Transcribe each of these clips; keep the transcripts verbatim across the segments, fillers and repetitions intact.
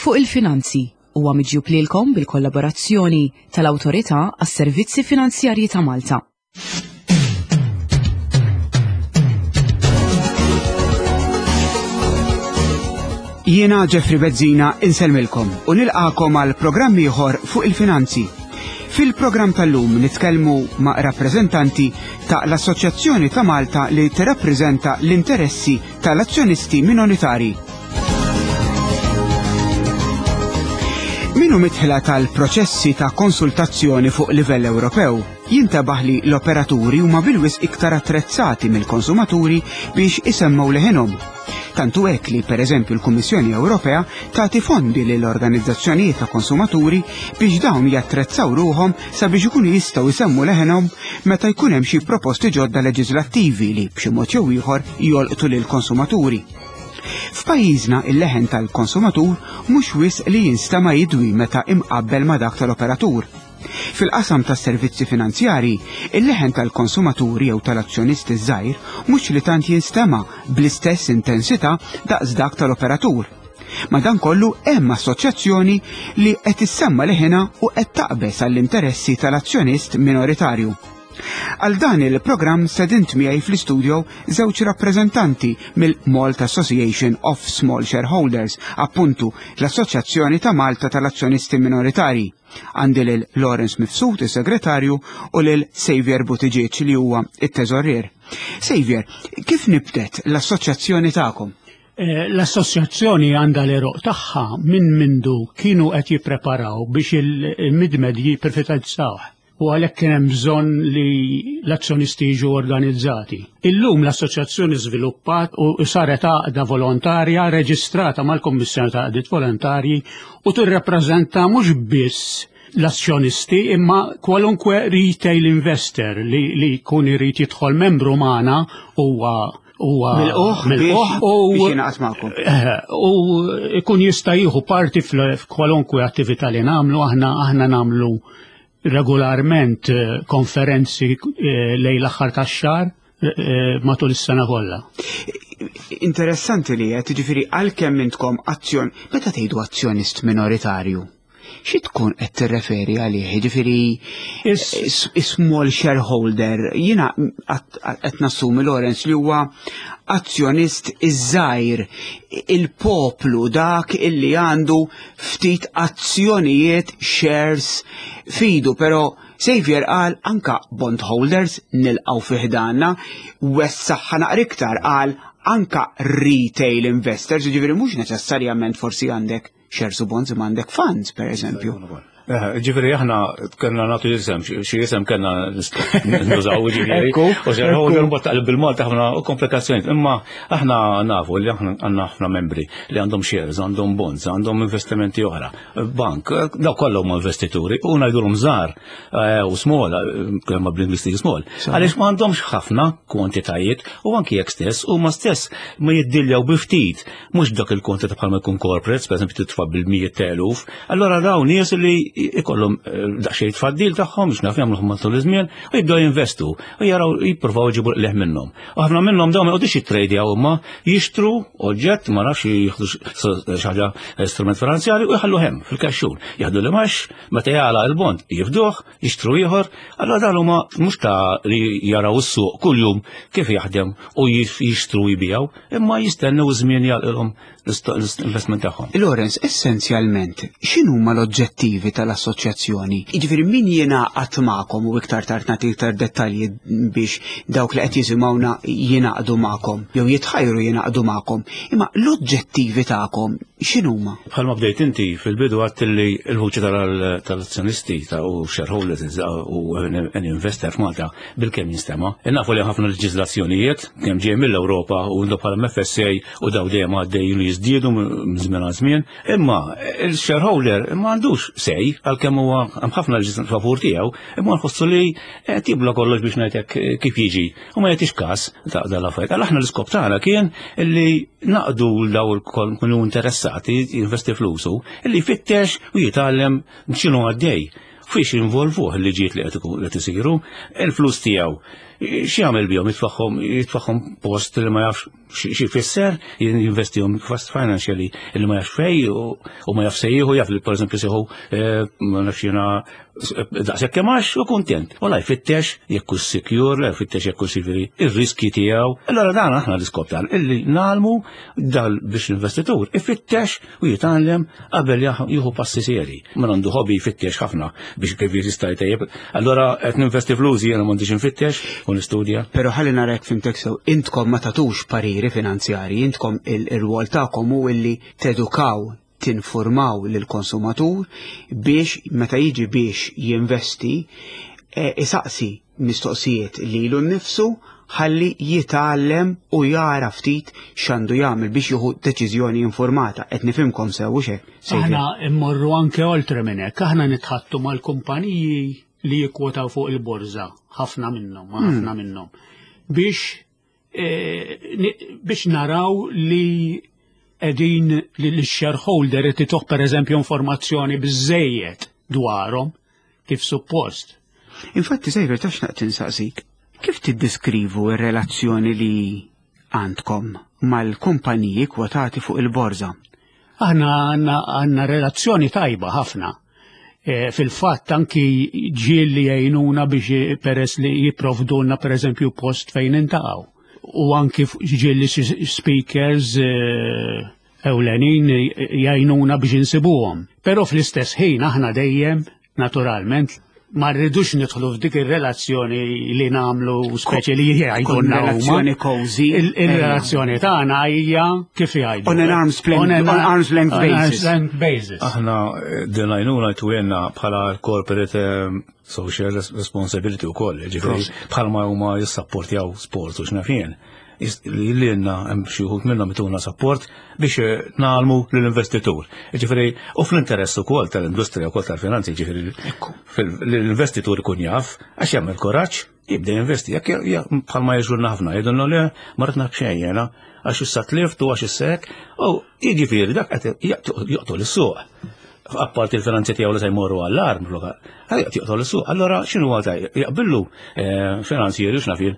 Fuq il-Finanzi huwa miġjub lilkom bil-kollaborazzjoni tal-Awtorità għas-Servizzi Finanzjarji ta' Malta. Jiena Jeffrey Bezzina insellmilkom u nilqakom għal programm ieħor fuq il-finanzi. Fil-programm tal-lum nitkellmu ma' rappreżentanti ta' l-Assoċjazzjoni ta' Malta li tirrappreżenta l-interessi tal-azzjonisti minoritarji. Minu mitħla tal-proċessi ta' konsultazzjoni fuq livell Ewropew, jintabaħ li l-operaturi huma bil-wisq iktar attrezzati mill-konsumaturi biex isemmgħu leħinhom. Tantu hekk li pereżempju l-Kummissjoni Ewropea tagħti fondi lil organizzazzjonijiet ta' konsumaturi biex dawn jattrezzaw ruhom sabiex ikunu jistgħu jsemmu leħinhom meta jkun hemm xi proposti ġodda leġislattivi li b'xi mod jew ieħor jolqtu lill-konsumaturi. F'pajjiżna il-leħen tal-konsumatur mhux wisq li jinstema' jidwi meta imqabbel ma' dak tal-operatur. Fil-qasam tas-servizzi finanzjarji, il-leħen tal-konsumaturi jew tal-azzjonisti żgħir mhux li tant jinstema' bl-istess intensità daqs dak tal-operatur. Madankollu hemm assoċjazzjoni li qed issemma leħinha u qed taqbeż għall-interessi tal-azzjonist minoritarju. Għal dan il-programm sedint miegħi fl-istudio żewġ rappreżentanti mill-Malta Association of Small Shareholders, appuntu l-Assoċjazzjoni ta' Malta tal-Azzjonisti Minoritarji. Għandi lil Lawrence Mifsud, is-segretarju, u lil Xavier Buttigieg li huwa it-teżorier. Xavier, kif nibdet l-assoċjazzjoni tagħkom? Eh, L-assoċjazzjoni għandha l-għeruq tagħha minn mindu kienu qed jippreparaw biex il-mid-med jipprivatizzawh. U għalhekk kien hemm bżonn li l-azzjonisti jiġu organizzati. Illum l-assoċjazzjoni żviluppat u saret għaqda volontarja reġistrata mal-Kummissjoni ta' Għaqdiet Volontarji u tirrappreżenta mhux biss l-azzjonisti imma kwalunkwe retail investor li, li jkun irid jidħol membru magħna huwa huwa Milqugħ milqugħ biex u biex jingħaqad magħkom. Eh, u ikun jista' jieħu parti fl- f'kwalunkwe attività li nagħmlu, aħna aħna nagħmlu regolarment eh, konferenzi eh, lejn l-aħħar tax-xahar eh, matul is-sena kollha. Interessanti li qed jiġifieri għalkemm intkom azzjon, meta tgħidu azzjonist minoritarju, xi tkun qed tirreferi għalih? Jiġifieri Is- small shareholder, jiena qed nassumi Lawrence li huwa azzjonist iż-żgħir, il-poplu dak illi għandu ftit azzjonijiet shares fidu, però Xavier qal anka bondholders nilqgħu fi ħdanna, wessaħħa naqra iktar qal anka retail investors, jiġifieri mhux neċessarjament forsi għandek shares u bonds imma għandek funds per eżempju. Eh, Ġifieri aħna kellna nagħtu isem, xi isem kellna nużaw ġifieri. Ekku, U shareholder mbagħad taqleb bil-Malta ħafna komplikazzjonijiet. Imma aħna nafu li aħna għandna ħafna membri li għandhom shares, għandhom bonds, għandhom investimenti oħra. Bank, daw kollha huma investituri u ngħidulhom żgħar eh, u small, eh, kemm bl-Ingliż small. Għaliex ma għandhomx ħafna kwantitajiet u anki jekk stess huma stess ma jiddiljaw bi ftit, mhux dak il-kwantità bħalma jkun corporates, per eżempju titfa' bil-mijiet ta' eluf, allora dawn nies li ikollhom eh, daqsxejn tfaddil tagħhom biex naf jagħmlu matul iż-żmien u jibdew jinvestu u jaraw jippruvaw jġibu leħ minnhom. U ħafna minnhom dawn ma jqogħdux jittradjaw huma jixtru oġġett ma nafx jieħdu xi ħaġa strument finanzjarju u jħallu hemm fil-kaxxun. Jaħdu li max meta jagħlaq il-bond jifduh, jixtru ieħor, allora dan huma mhux ta' li jaraw is-suq kuljum kif jaħdem u jixtru jbijaw, imma jistennew żmien jagħlqilhom l-investment tagħhom. Lawrence, essenzjalment, x'inhuma l-oġġettivi tal-assoċjazzjoni? Jiġifieri min jingħaqad magħkom u iktar tard nagħti iktar dettalji biex dawk li qed jisimgħuna jingħaqdu magħkom jew jitħajru jingħaqdu magħkom. Imma l-oġġettivi tagħkom x'inhuma? Bħalma bdejt inti fil-bidu għedt li l-vuċi tal-azzjonisti ta' u shareholders u an investor f'Malta bil-kemm jinstema'. Nafu li ħafna leġiżlazzjonijiet kemm ġej mill-Ewropa u bħala M F S A u daw dejjem għaddejjin li jiżdiedu minn żmien għal żmien. Imma il-shareholder ma għandux say għalkemm huwa hemm ħafna leġiżlazzjoni favur tiegħu, imma nħossu li qed jibla kollox biex ngħidlek kif jiġi u ma jagħtix każ ta' dal-affarijiet. Għal aħna l-iskop tagħna kien illi naqdu daw il-kunu interessati jinvesti flusu, illi jfittex u jitgħallem x'inhu għaddej. Fiex involvuh il-liġijiet li qed isiru, il-flus tiegħu. X'jagħmel bihom? Jitfagħhom jitfagħhom post li ma jafx xi jfisser, jinvestihom fast financially li ma jafx fej u ma jafx sejħu, jaf li pereżempju seħu ma nafx jiena daqshekk kemm għax u kuntent. U la jfittex jekk hu secure, la jfittex jekk hu sivili ir-riski tiegħu. Allora dan aħna l-iskop tan illi nagħmlu dal biex l-investitur ifittex u jitgħallem qabel jieħu passi seri. Ma għandu hobby jfittex ħafna biex kif jista' jtejjeb. Allora qed ninvesti flusi jiena m'għandix infittex u nistudja. Però ħalli narek fimtek sew, intkom ma tagħtux pariri finanzjari, intkom il-rwol tagħkom hu illi tedukaw, tinformaw lill-konsumatur biex meta jiġi biex jinvesti isaqsi mistoqsijiet lilu nnifsu ħalli jitgħallem u jara ftit x'għandu jagħmel biex jieħu deċiżjoni informata. Qed nifhimkom sew u xek. Aħna immorru anke oltre minn hekk, aħna nitħattu mal-kumpaniji li jikkwotaw fuq il-borża, ħafna minnhom, ħafna minnhom, biex biex naraw li qegħdin li l-shareholder qed ituh pereżempju informazzjoni biżejjed dwarhom kif suppost. Infatti, Xavier, taf x'naqt insaqsik, kif tiddeskrivu r-relazzjoni li għandkom mal-kumpaniji kwotati fuq il-borża? Aħna għandna relazzjoni tajba ħafna. E, fil-fatt anki ġieli jgħinuna biex peress li jipprovdulna pereżempju post fejn niltaqgħu. U anki ġieli speakers ewlenin jgħinuna biex insibuhom. Però fl-istess ħin aħna dejjem, naturalment, ma rridux nidħlu f'dik ir-relazzjoni li nagħmlu speċi li jgħidulna relazzjoni cozy. Il-relazzjoni tagħna hija kif jgħidu. On an arm's length, on arm's length basis. length basis. Aħna din għajnuna jtuhielna bħala corporate social responsibility u koll, ġifieri bħalma huma jissapportjaw sport u x'naf jien. Li lilna hemm xi wħud minnhom ituna support biex ngħallmu lill-investitur. Ġifieri u fl-interess ukoll tal-industrija wkoll tal-finanzi, ġifieri l-investitur ikun jaf għax jagħmel kuraġġ jibda jinvesti. Jekk bħalma jiġrulna ħafna jgħidulna le ma rrid naf xejn jiena għax issa tlift u għax issa hekk, u jiġifieri dak qed joqtol is-suq. Apparti il-finanzi tiegħu li se jmorru għall-arm, joqtol is-suq. Allora x'inhu huwa jaqbillu finanzjeri x'naf jien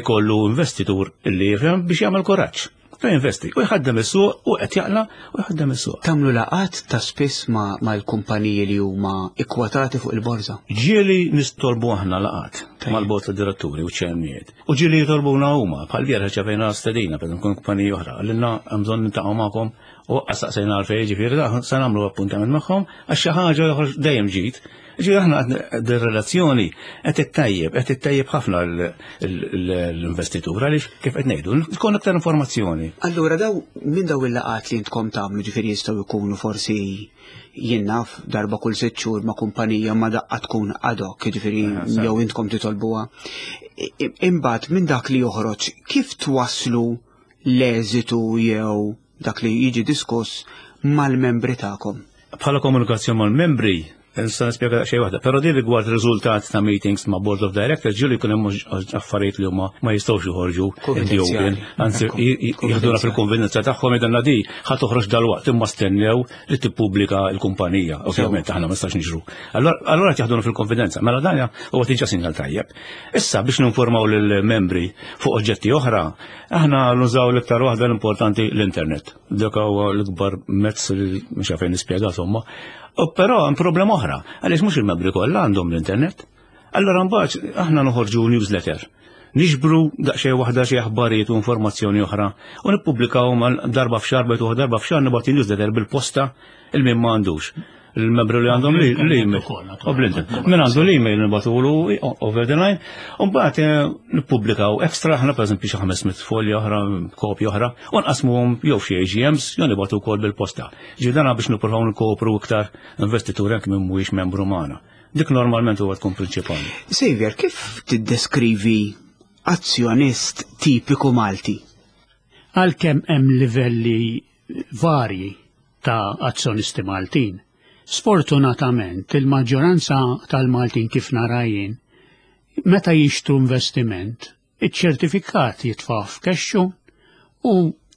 kollu investitur li jifhem biex jagħmel kuraġġ. U jinvesti, u jħaddem is-suq u qed jaqla u jħaddem is-suq. Tagħmlu laqgħat ta' spiss mal-kumpaniji li huma ikkwotati fuq il-borża? Ġieli nistolbu aħna laqgħat mal-bord tad-diretturi u ċermijiet. U ġieli jitolbuna huma bħal bieraħ ċevejna stedina per kumpaniji oħra, għalilna hemm bżonn niltaqgħu magħkom u saqsejna għalfejn, ġifieri se nagħmlu appuntament magħhom għax xi ħaġa joħroġ dejjem ġid. Ġifieri aħna qed relazzjoni qed ittejjeb, qed ittejjeb ħafna l-investitur għaliex kif qed ngħidu, tkun aktar informazzjoni. Allura daw minn daw il-laqgħat li intkom tagħmlu, ġifieri jistgħu jkunu forsi jien naf darba kull sitt xhur ma' kumpanija ma daqqa tkun ad hoc, ġifieri jew intkom titolbuha. Imbagħad minn dak li joħroġ, kif twasslu l-eżitu jew dak li jiġi diskuss mal-membri tagħkom? Bħala komunikazzjoni mal-membri, nista' nispjega xejn waħda, però di rigward riżultat ta' meetings ma' board of directors ġieli jkun hemm affarijiet li huma ma jistgħux joħorġu in the open, anzi jieħduna fil-konvenienza tagħhom jgħidulna di ħa toħroġ dalwaqt imma stennew li tippubblika l-kumpanija, ovvjament aħna ma nistax niġru. Allura qed jaħduna fil-konfidenza, mela dan huwa diġà sinjal tajjeb. Issa biex ninformaw lill-membri fuq oġġetti oħra, aħna nużaw l-iktar waħda l-importanti l-internet. Dak huwa l-ikbar mezz li mhux fejn nispjega insomma. Però hemm problema oħra, għaliex mhux il-membri kollha għandhom l-internet. Allora mbagħad aħna noħorġu newsletter. Niġbru daqsxejn waħda xi aħbarijiet u informazzjoni oħra u nippubblikaw darba f'xahar bejt darba f'xahar nibgħat newsletter bil-posta il min ma għandux. Il-membru li għandhom l-email. U bl-internet. Min għandu l-email nibgħatulu over the line. U mbagħad nippubblikaw extra aħna pereżempju xi ħames mitt folja oħra, kopja oħra, u nqasmuhom jew xi A G Ms jew nibgħatu wkoll bil-posta. Ġifieri dan biex nippruvaw nkopru iktar investituri anke min mhuwiex membru magħna. Dik normalment huwa tkun prinċipali. Xavier, kif tiddeskrivi azzjonist tipiku Malti? Għalkemm hemm livelli varji ta' azzjonisti Maltin, sfortunatament il-maġġoranza tal-Maltin kif nara jien, meta jixtru investiment, iċ-ċertifikat jitfa' f'kexxu u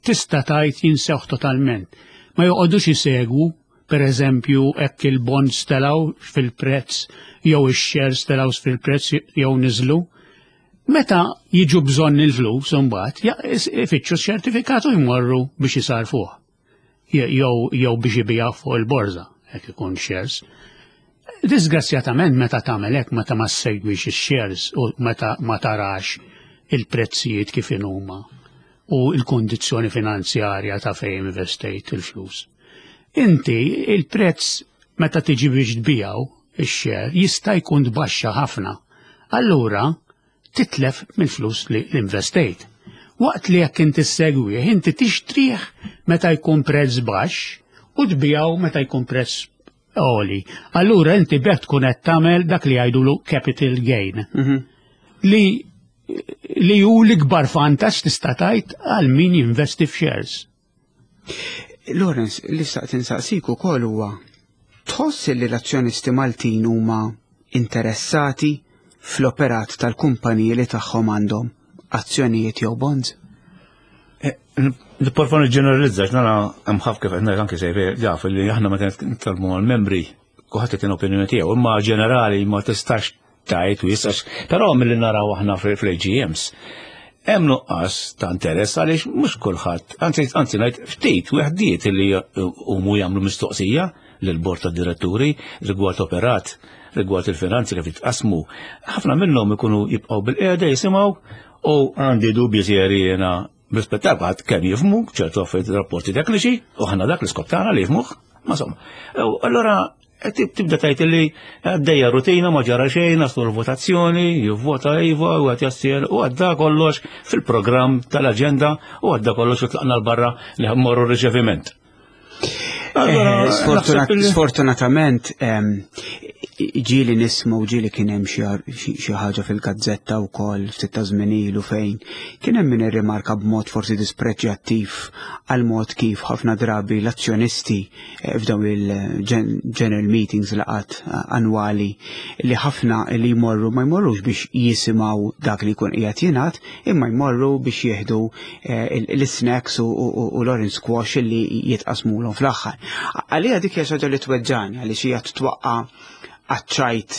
tista' tgħid jinsewh totalment. Ma joqogħdux isegwu, per eżempju, hekk il-bonds telgħu fil-prezz jew ix-shares telgħu fil-prezz jew niżlu. Meta jiġu bżonn il-flus imbagħad ifittxu ċertifikat u jmorru biex jisarfuh. Jew jew biex ibigħu fuq il-borża, jekk ikun shares. Disgrazzjatament, meta tagħmel hekk, meta ma ssegwix ix-shares u meta ma tarax il-prezzijiet kif huma u l-kondizzjoni finanzjarja ta' fejn investejt il-flus, inti il-prezz meta tiġi biex tbigħu ix-share jista' jkun tbaxxa ħafna. Allura titlef mill-flus li investejt. Waqt li jekk inti ssegwih, inti tixtrih meta jkun prezz baxx u tbigħu meta jkun prezz għoli. Allura inti b'hekk tkun qed tagħmel dak li jgħidulu capital gain. Mhm. Li li hu l-ikbar vantaġġ tista' tgħid għal min jinvesti f'shares. Lawrence, li xtaqt insaqsik ukoll huwa, tħoss li l-azzjonisti Maltin huma interessati fl-operat tal-kumpaniji li tagħhom għandhom azzjonijiet jew bonds? Nipprova ġeneralizza, nara hemm ħafna, kif qed ngħid anke sejf jaf li aħna meta nitkellmu mal-membri kulħadd qed opinjoni tiegħu, imma ġenerali ma tistax tgħid u jistax, però milli naraw aħna fl-A G Ms hemm nuqqas ta' interess għaliex mhux kulħadd, anzi anzi ngħid ftit weħdiet li huma jagħmlu mistoqsija lill-bord tad diretturi rigward operat, rigward il-finanzi kif jitqasmu. Ħafna minnhom ikunu jibqgħu bil-qiegħda jisimgħu u għandi dubji seri jiena b'rispett għad kemm jifhmu ċertu affarijiet, rapporti tekniċi, u ħana dak l-iskop tagħna li jifhmuh, ma insomma. Allora tibda tgħid li għaddejja rutina, ma ġara xejn, naslu l-votazzjoni, jivvota iva u għad jassir u għadda kollox fil-programm tal-aġenda u għadda kollox u tlaqna l-barra li mmorru riċeviment. Eh, sfortunatament, ġieli nisma' u ġieli kien hemm xi ħaġa fil-gazzetta wkoll ftit ta' żmien ilu fejn kien hemm min irrimarka b'mod forsi dispreġjattiv għal mod kif ħafna drabi l-azzjonisti eh, f'dawn il-general meetings, laqgħat eh, annwali, li ħafna li jmorru ma jmorrux biex jisimgħu dak li jkun qiegħed jingħad, imma jmorru biex jieħdu l-snacks u l-orange squash li jitqasmulhom fl-aħħar. Għalija dik hija xi ħaġa li tweġġani għaliex hija twaqqa għaċ-ċajt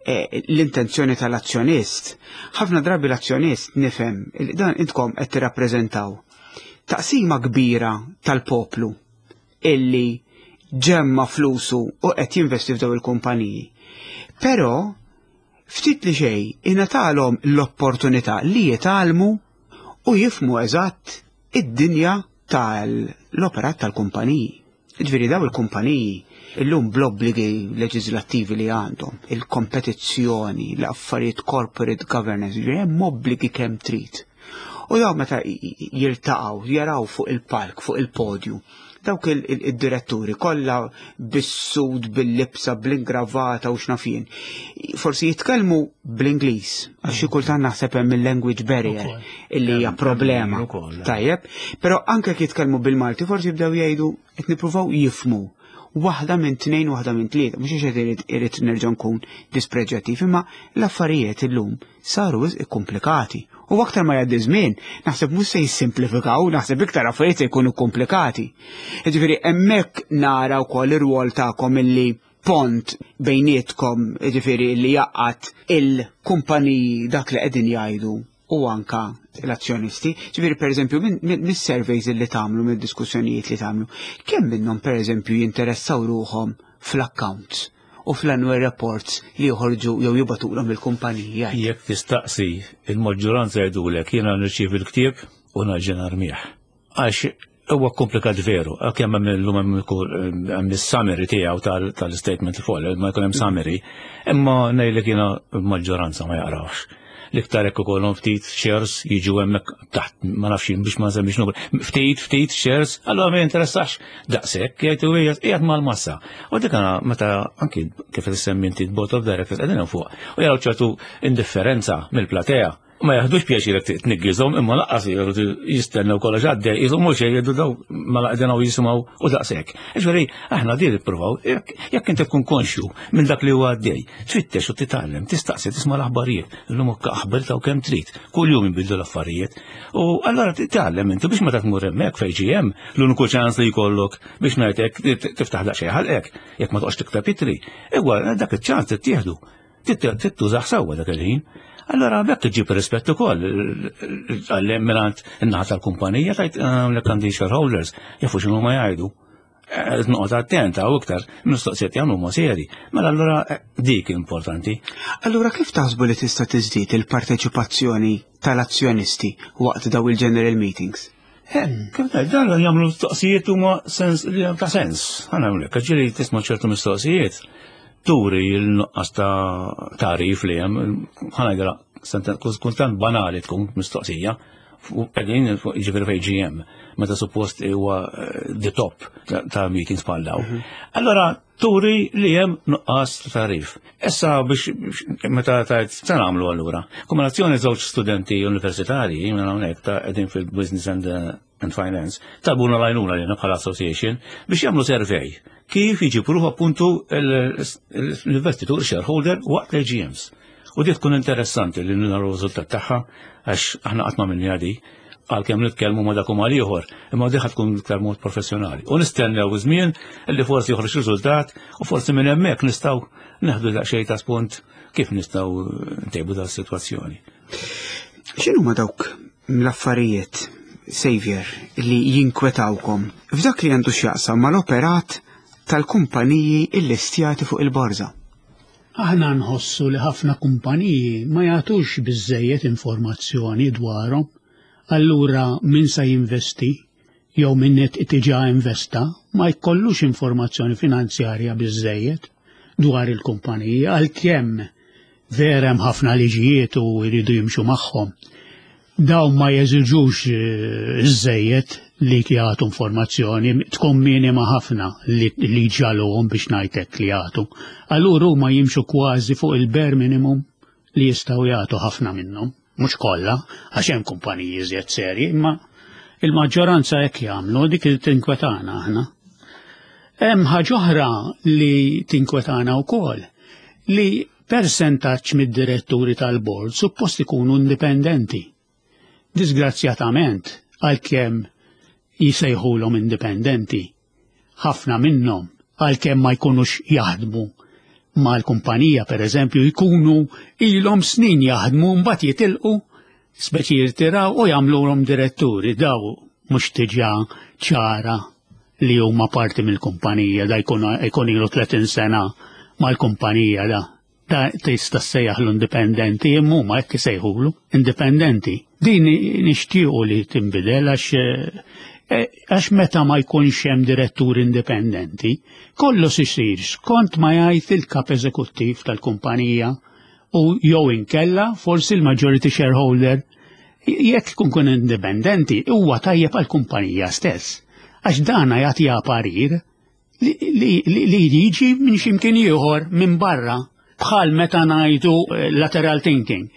eh, l-intenzjoni tal-azzjonist. Ħafna drabi l-azzjonist, nifhem, dan intkom qed tirrappreżentaw taqsima kbira tal-poplu illi ġemma flusu u qed jinvesti f'daw il-kumpaniji. Però ftit li xejn ingħatalhom l-opportunità li jitgħallmu u jifhmu eżatt id-dinja tal-operat tal-kumpaniji. Ġifieri daw il-kumpaniji illum bl-obbligi leġislattivi li għandhom, il-kompetizzjoni, l-affarijiet corporate governance, ġifieri hemm obbligi kemm trid. U daw meta jiltaqgħu, jaraw fuq il-palk, fuq il-podju, dawk il-diretturi kollha bis-suit, bil-libsa, bl-ingravata u x'naf jien. Forsi jitkellmu bl-Ingliż, għax xi kultant naħseb hemm il-language barrier illi hija problema. Tajjeb, però anke jitkellmu bil-Malti forsi jibdew jgħidu qed nippruvaw jifhmu waħda minn tnejn, waħda minn tlieta, mhux għax irid irid nerġa' nkun dispreġjattiv, imma l-affarijiet illum saru wisq komplikati. U aktar ma jgħaddi żmien, naħseb mhux se jissimplifikaw, naħseb iktar affarijiet se jkunu komplikati. Jiġifieri hemmhekk nara wkoll ir-rwol tagħkom illi pont bejnietkom, jiġifieri li jgħaqqad il-kumpaniji, dak li qegħdin jgħidu, u anka l-azzjonisti. Ġifieri per eżempju mis-surveys li tagħmlu, mid-diskussjonijiet li tagħmlu, kemm minnhom per eżempju jinteressaw ruħhom fl-accounts u fl-annual reports li joħorġu jew jibagħtulhom il-kumpanija? Jekk tistaqsi, il-maġġoranza jgħidulek jiena nirċievi l-ktieb u nerġa' narmih. Għax huwa komplikat veru, kemm hemm illum hemm is-summary tiegħu tal-statement fuq, ma jkun hemm summary, imma ngħidlek jiena l-maġġoranza ma jaqrawx. L-iktar hekk ukollhom ftit shares jiġu hemmhekk taħt, ma nafx biex ma nsemmix numru, ftit ftit shares, allura ma jinteressax daqshekk, jgħidu qiegħed mal-massa. U dik meta anki kif issemmi inti board of directors qegħdin fuq u jaraw ċertu indifferenza mill-platea, ma jaħdux pjaċir jekk tniggizhom, imma lanqas jistennew kollox għaddej, jisom mhux jgħidu daw ma laqdenaw jisimgħu u daqshekk. Ġifieri aħna din nippruvaw, jekk inti tkun konxju minn dak li huwa għaddej, tfittex u titgħallem, tistaqsi, tisma' l-aħbarijiet, illum aħbar taw kemm trid, kuljum jinbidlu l-affarijiet. U allura titgħallem inti biex meta tmur hemmhekk fejn hemm l-uniku ċans li jkollok biex ngħidlek tiftaħ daqsxejn ħalqek, jekk ma toqgħodx tikteb ittri, ewa dak iċ-ċans tittieħdu. Tittużaħ sewwa dak il-ħin. Allora bekk iġib rispett ukoll għal mingħand in-naħa tal-kumpanija tajt l għandi shareholders jafu x'inhu ma jgħidu. Noqgħod attenta u iktar mistoqsijiet jagħmlu huma seri. Mela allura dik importanti. Allura kif taħsbu li tista' tiżdied il-parteċipazzjoni tal-azzjonisti waqt daw il-general meetings? Kif tgħid, dan jagħmlu mistoqsijiet huma sens ta' sens. Ħa ngħidlek, ġieli tisma' ċertu mistoqsijiet turi l-nuqqas ta' tagħrif li hemm, ħa ngħidilha kultant banali tkun mistoqsija, qegħdin jiġifieri fejn G M, meta suppost huwa the top ta' meetings bħal daw. Allora turi li hemm nuqqas ta' tagħrif. Issa biex meta tajt se nagħmlu allura. Kombinazzjoni żewġ studenti universitarji minn hawnhekk ta' qegħdin fil-business and, and finance talbuna l-għajnuna li bħala association biex jagħmlu survey kif jiġi appuntu l-investitur shareholder waqt l-A G Ms. U di tkun interessanti li naraw riżultat tagħha, għax aħna qatt ma minni għadi għalkemm nitkellmu ma' dak u mal-ieħor, imma diħa tkun iktar mod professjonali. U nistennew żmien li forsi joħroġ riżultat u forsi minn hemmhekk nistgħu neħdu daqsxejn ta' spunt kif nistgħu ntejbu da sitwazzjoni. X'inhu ma dawk l-affarijiet, Xavier, li jinkwetawkom f'dak li għandu x'jaqsam mal-operat tal-kumpaniji illistjati fuq il-borża? Aħna nħossu li ħafna kumpaniji ma jagħtux biżejjed informazzjoni dwarhom. Allura min sa jinvesti jew min qed diġà investa ma jkollux informazzjoni finanzjarja biżejjed dwar il-kumpaniji, għalkemm vera hemm ħafna liġijiet u jridu jimxu magħhom. Dawn ma jeżiġux iżejjed li jagħtu informazzjoni, tkun minima ħafna li, li ġaluhom biex ngħidlek li jagħtu. Allura huma jimxu kważi fuq il-bare minimum li jistgħu jagħtu ħafna minnhom, mhux kollha, għax hemm kumpaniji iżjed serji, imma il-maġġoranza hekk jagħmlu. Dik li tinkwetana aħna. Hemm ħaġa oħra li tinkwetana wkoll, li persentaġġ mid-diretturi tal-bord suppost ikunu indipendenti. Disgrazzjatament, għalkemm jisejħulhom indipendenti, ħafna minnhom, għalkemm ma jkunux jaħdmu mal-kumpanija, per eżempju, jkunu ilhom snin jaħdmu, mbagħad jitilqu, speċi jirtiraw u jagħmluhom diretturi. Daw mhux diġà ċara li huma parti mill-kumpanija, da jkun jkun ilu tletin sena mal-kumpanija, da. Da tista' ssejjaħlu indipendenti, imma huma hekk isejħulu indipendenti. Din nixtiequ li tinbidel għax eh, għax meta ma jkunx hemm direttur indipendenti, kollox isir skont ma jgħid il-kap eżekuttiv tal-kumpanija u jew inkella forsi l-majority shareholder. Jekk ikun kun indipendenti, huwa tajjeb għall-kumpanija stess. Għax dana jagħtiha parir li, li, li, li jiġi minn ximkien ieħor minn barra, bħal meta ngħidu eh, lateral thinking.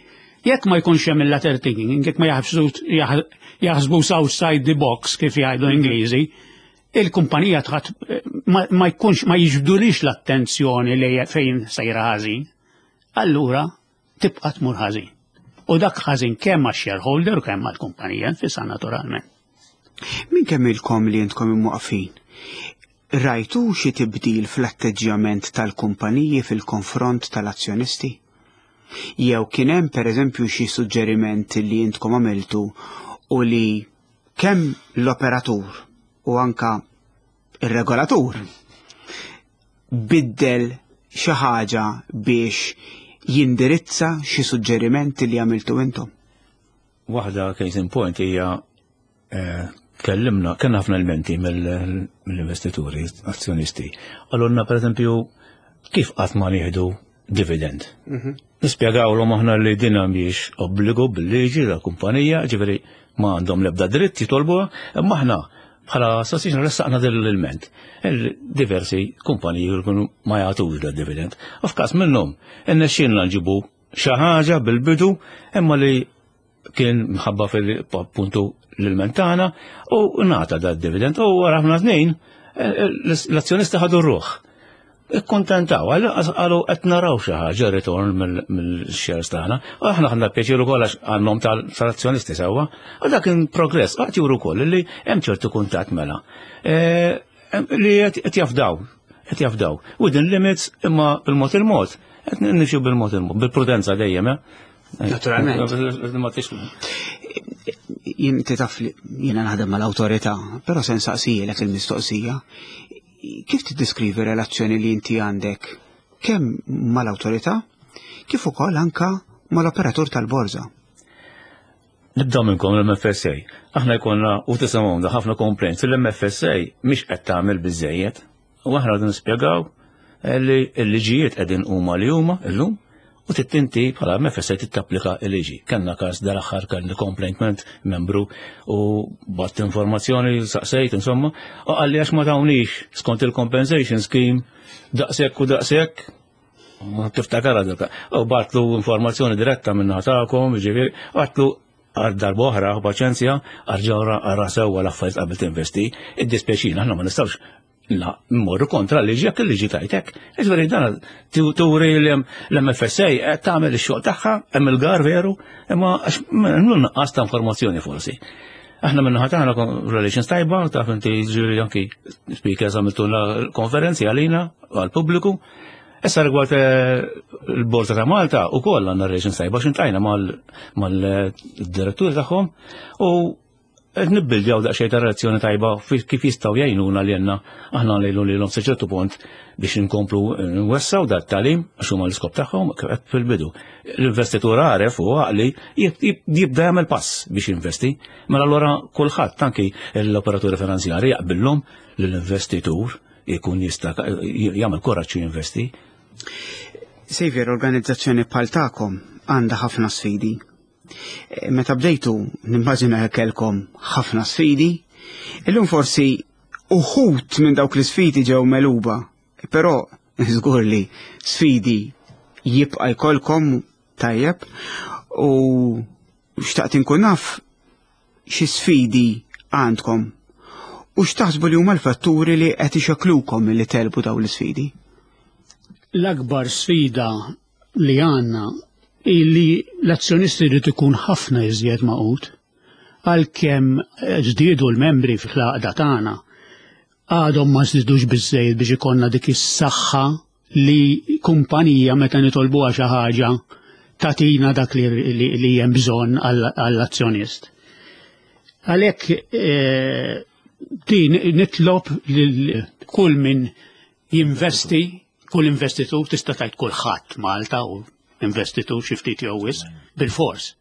Jekk ma jkunx hemm il-lateral thinking, jekk ma jaħsbu outside the box, kif jgħidu Ingliżi, il-kumpanija tħat ma, ma jkunx ma jiġbdulix l-attenzjoni li fejn sejra ħażin. Allura tibqa' tmur ħażin. U dak ħażin kemm għax-shareholder u kemm għall-kumpanija nfisha, naturalment. Min kemm ilkom li intkom imwaqfin? Rajtu xi tibdil fl-atteġġjament tal-kumpaniji fil-konfront tal-azzjonisti? Jew kien hemm, pereżempju, xi suġġeriment li intkom għamiltu u li kemm l-operatur u anka ir-regolatur biddel xi ħaġa biex jindirizza xi suġġerimenti li għamiltu intom? Waħda case in point hija eh, tkellimna, kellna ħafna elementi mill-investituri, azzjonisti. Għalunna, per eżempju, kif qatt ma nieħdu dividend. Nispjegawlhom aħna li din mhijiex obbligu bil-liġi ta' kumpanija, ġifieri ma għandhom l-ebda dritt jitolbuha, imma aħna bħala association ressaqna din l-ilment. Il-diversi kumpaniji jkunu ma jagħtux da dividend. U f'każ minnhom innexxielna nġibu xi ħaġa bil-bidu, imma li kien mħabba fil-puntu l-ilment tagħna u ngħata da dividend u wara ħafna snin l-azzjonisti ħadu r-ruħ. Ikkontentaw, għalu qed naraw xi ħaġa return mill-shares tagħna. U aħna ħadna pjaċir ukoll għax għandhom tal-azzjonisti sewwa. U dak kien progress, qatt juru wkoll li hemm ċertu kuntatt mela. Li qed jafdaw, qed jafdaw. Within limits, imma bil-mod il-mod, qed nimxu bil-mod il-mod, bil-prudenza dejjem, eh? Naturalment. Jien taf li jiena naħdem mal-awtorità, però se nsaqsijilek il-mistoqsija. Kif tiddeskrivi relazzjoni li inti għandek kemm mal-awtorità kif ukoll anka mal-operatur tal-borża? Nibda minnkom l-M F S A. Aħna jkollna u tisimgħu ħafna complaints, l-M F S A mhix qed tagħmel biżejjed. U aħna qegħdin nispjegaw li l-liġijiet qegħdin huma li huma illum u trid inti bħala M F S A tittapplika l-liġi. Kellna każ dal-aħħar, kellna complaint membru u bgħatt informazzjoni, saqsejt insomma, u qalli għax ma tawnix skont il-compensation scheme daqshekk u daqshekk. Tiftakar għadilka. U bgħattlu informazzjoni diretta minna tagħkom, ġifieri, għedtlu għal darba oħra, paċenzja, arġawra għarra sewwa l-affarijiet qabel tinvesti, id-dispjaċina, aħna ma nistgħux la mmorru kontra l-liġi jekk il-liġi tajtek. Ġifieri dan turi l-M F S A qed tagħmel ix-xogħol tagħha, hemm il-gar veru, imma għax nuqqas ta' informazzjoni forsi. Aħna minna tagħna relations tajba, taf inti, ġifieri anki speakers għamiltuna konferenzi għalina għal-pubbliku. Issa rigward eh, il-Borsa ta' Malta u koll għandna relations tajba xintajna mal-direttur tagħhom u qed nibbildjaw daqsxejn ta' relazzjoni tajba kif jistgħu jgħinuna li għandna aħna ngħidu lilhom sa ċertu punt biex inkomplu nwessaw dat tagħlim, għax huma l-iskop tagħhom kif qed fil-bidu. L-investitur għaref u għaqli jibda jagħmel pass biex jinvesti, mela allura kulħadd, anki l-operaturi finanzjari, jaqbillhom li l-investitur jkun jista' jagħmel kuraġġ jinvesti. Xavier, organizzazzjoni bħal tagħkom għandha ħafna sfidi. E, Meta bdejtu, nimmaġina kellkom ħafna sfidi. Illum forsi uħud minn dawk l-sfidi ġew megħluba, però żgur li sfidi jibqa' jkollkom, tajjeb, u xtaqt inkun naf xi sfidi għandkom u x'taħsbu li huma l-fatturi li qed ixekklukom milli tegħlbu dawn l-isfidi. L-akbar sfida li għandna li l-azzjonisti jrid ikun ħafna iżjed magħqud. Għalkemm żdiedu l-membri fl-għaqda tagħna, għadhom ma żdidux biżejjed biex ikollna dik is-saħħa li kumpanija meta nitolbuha xi ħaġa tagħtina dak li, li, li hemm bżonn għall-azzjonist. Għalhekk eh, din nitlob lil kull min jinvesti, kull investitur, tista' tgħid kulħadd Malta u investitur xi ftit jew wisq, bil-fors.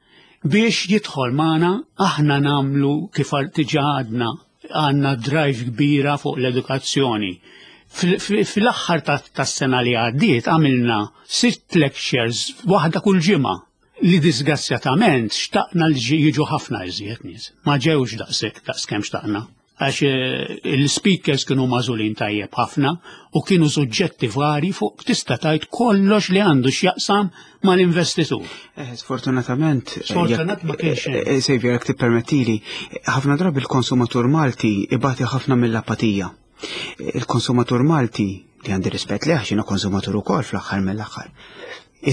Biex jidħol magħna, aħna nagħmlu kif diġà għadna, għandna drive kbira fuq l-edukazzjoni. Fil-aħħar tas-sena li għaddiet għamilna sitt lectures, waħda kull ġimgħa, li disgrazzjatament xtaqna li jiġu ħafna iżjed nies. Ma ġewx daqshekk daqskemm xtaqna. Għax eh, il-speakers kienu magħżulin tajjeb ħafna u kienu suġġetti vari fuq tista' tgħid kollox li għandu x'jaqsam mal-investitur. Eh, sfortunatament, eh, Sfortunat ma kienx hemm. Xavier, jekk tippermettili, ħafna drabi il-konsumatur Malti ibati ħafna mill-apatija. Il-konsumatur Malti, li għandi rispett li għax konsumatur ukoll fl-aħħar mill-aħħar,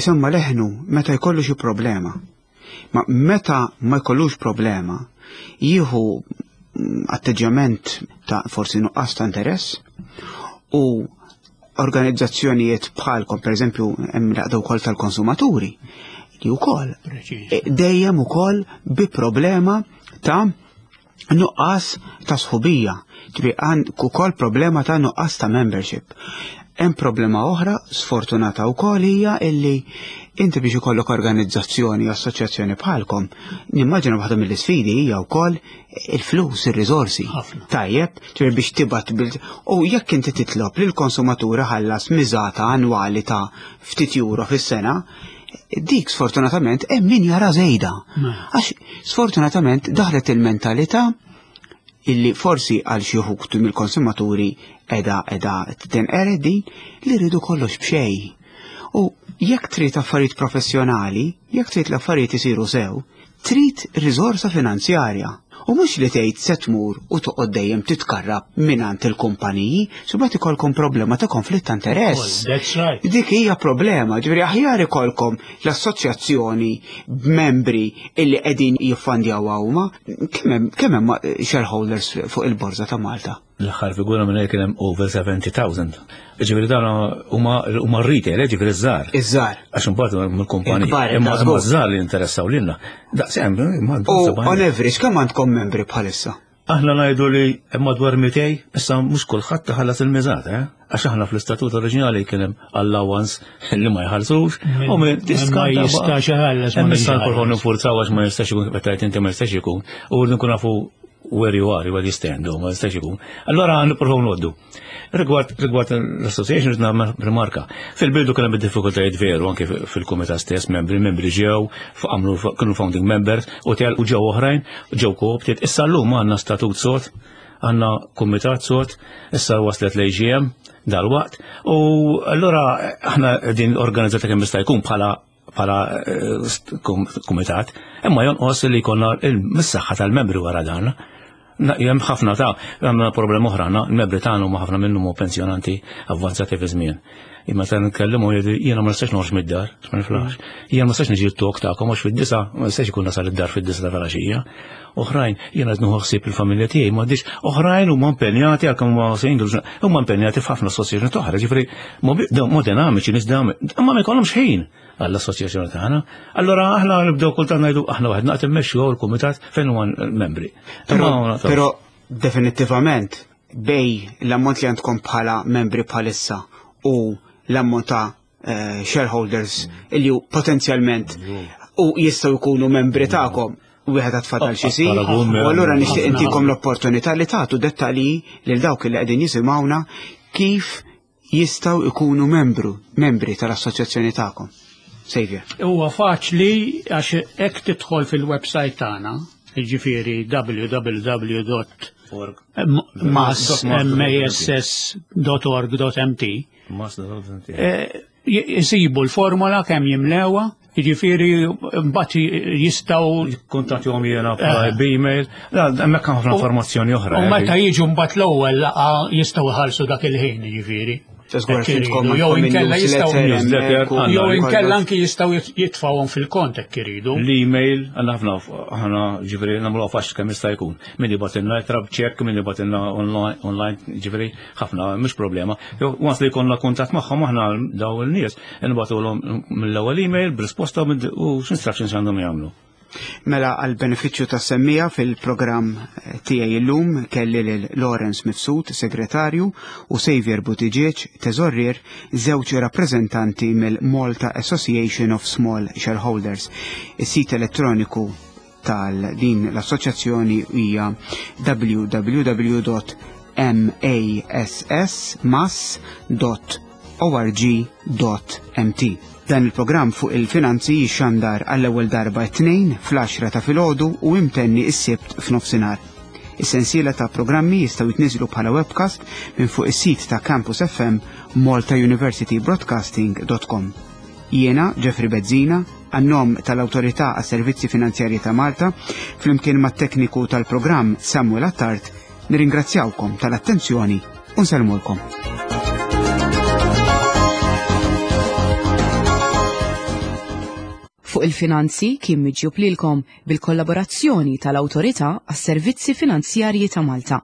isemma leħnu meta jkollu xi problema. Ma meta ma jkollux problema, jieħu mm, atteġġjament ta' forsi nuqqas ta' interess u organizzazzjonijiet bħalkom, per eżempju, hemm l-għaqda wkoll tal-konsumaturi, li wkoll Preċiż. eh, dejjem ukoll bi problema ta' nuqqas ta' sħubija, ġifieri għand ukoll problema ta' nuqqas ta' membership. Hemm problema oħra sfortunata wkoll hija illi inti biex ikollok organizzazzjoni, assoċjazzjoni bħalkom, nimmaġina waħda mill-isfidi hija wkoll il-flus, ir-riżorsi. Ħafna. Tajjeb, ġifieri biex tibgħat bil u jekk inti titlob li l-konsumatur ħallas miżata annwali ta' ftit euro fis-sena, dik sfortunatament hemm min jara żejda. Għax sfortunatament daħlet il-mentalità illi forsi għal xi wħud mill-konsumaturi edha edha tinqered din li rridu kollox b'xejn. U jekk trid affarijiet professjonali, jekk trid l-affarijiet isiru sew, trid riżorsa finanzjarja. U mhux li tgħid se tmur u toqgħod dejjem titkarrab mingħand il-kumpaniji, imbagħad ikollkom problema ta' konflitt ta' interess. That's right. Dik hija problema, ġifieri aħjar ikolkom l-assoċjazzjoni b'membri illi qegħdin jiffandjaw huma. Kemm hemm kemm hemm shareholders fuq il-Borża ta' Malta? L-aħħar figura minn kien hemm over seventy thousand. Ġifieri dan huma huma retail, ġifieri żgħar. Iż-żgħar. Għax imbagħad mill-kumpaniji. Il-kbar, Imma ta' żgur. imma żgħar li interessaw lilna. Daqs hemm U on average, kemm għandkom membri bħalissa? Aħna ngħidu li hemm madwar mitejn, issa mhux kulħadd taħallas il-miżat, eh? Għax aħna fl-istatut oriġinali kien hemm allowance li ma jħallsux u minn Ma jistax iħallas, ma Hemm issa jistax nipprovaw iħallas. ninfurzaw għax ma jistax ikun, meta tgħid inti ma jistax ikun. U rridu nkun nafu where you are, where you stand, u ma jistax ikun. Allora nippruvaw noddu. Rigward rigward l-association rrid nagħmel rimarka. Fil-bidu kien hemm diffikultajiet veru anke fil-kumitat stess, membri membri ġew, għamlu kienu founding members u tel u ġew oħrajn, ġew co-opted. Issa llum għandna statut sod, għandna kumitat sod, issa waslet l-A G M dal-waqt. U allora aħna din organizzata kemm jista' jkun bħala bħala eh, st- kum- kumitat, imma jonqos li jkollna il-missaħħa tal-membri wara dan. Na- Hemm ħafna ta' għandna problema oħra, għandna il-membri tagħna huma ħafna minnhom huma pensjonanti avvanzati fi żmien. Imma ta' nitkellmu jgħidu, "Jiena ma nistax noħroġ mid-dar, ma niflaħx. Jiena ma nistax niġi t-talk tagħkom għax fid-disgħa, ma nistax ikun nasal id-dar fid-disgħa ta' filgħaxija. Oħrajn, jiena qed nieħu ħsieb il-familja tiegħi, m'għandix. Oħrajn huma impenjati għalkemm huma singles, huma impenjati f'ħafna assoċjazzjoni oħra, ġifieri mo dinamiċi, nies dinamiċi, imma ma jkollhomx ħin għall-assoċjazzjoni tagħna. Allora aħna nibdew kultant ngħidu aħna waħedna qed immexxu l-kumitat fejn huma l-membri. Però, Imma- però definittivament bejn l-ammont li għandkom bħala membri bħalissa u l-ammont ta' eh, shareholders illi hu potenzjalment u jistgħu jkunu membri tagħkom, wieħed għad fadal xi jsir. Paragun, U allura nixtieq ħafna. intikom l-opportunità li tagħtu dettalji lil dawk li qegħdin jisimgħuna kif jistgħu jkunu membru membri tal-assoċjazzjoni tagħkom. Xavier. Huwa faċli għax hekk tidħol fil-website tagħna, jiġifieri w w w dot mass dot org dot m t Eh, jisibu l-formola kemm jimlewa, jiġifieri mbagħad jistgħu Kuntattjahom jiena b'email, hemmhekk ħafna informazzjoni oħra. U meta jiġu mbagħad l-ewwel laqgħa jistgħu jħallsu dak il-ħin, jiġifieri. Żgur Hekk intkom iridu. Jew għandkom inkella jistgħu newsletter newsletter, hemmhekk u għandna jew inkella kollox. anki jistgħu jitfgħuhom fil-kont hekk iridu. L-email, għandna ħafna, ħana ġifieri nagħmlu faċli kemm jista' jkun. Min jibgħatilna ittra b'ċekk, min jibgħatilna online, online, ġifieri ħafna, mhux problema. Jew once li jkollna kuntatt magħhom aħna daw il-nies, nibgħatulhom mill-ewwel email b'risposta u x'instructions għandhom jagħmlu. Mela, għal benefiċċju ta' semmija fil-programm tiegħi illum kelli lil Lawrence Mifsud, segretarju, u Xavier Buttigieg, teżorrier, żewġ rappreżentanti mill-Malta Association of Small Shareholders. Is-sit elettroniku tal din l-assoċjazzjoni hija w w w dot mass dot org dot m t. Dan il-programm Fuq il-Finanzi jixxandar għall-ewwel darba t-Tnejn fl-għaxra ta' filgħodu u imtenni is-Sibt f'nofsinhar. Is-sensiela ta' programmi jistgħu jitniżlu bħala webcast minn fuq is-sit ta' Campus F M maltauniversitybroadcasting dot com. Jiena, Jeffrey Bezzina, għan-nom tal-Awtorità għas-Servizzi Finanzjarji ta' Malta, flimkien mat-tekniku tal-programm Samuel Attard, nirringrazzjawkom tal-attenzjoni u nsellmulkom. Fuq il-Finanzi kien miġjub lilkom bil-kollaborazzjoni tal-Awtorità għas-Servizzi Finanzjarji ta' Malta.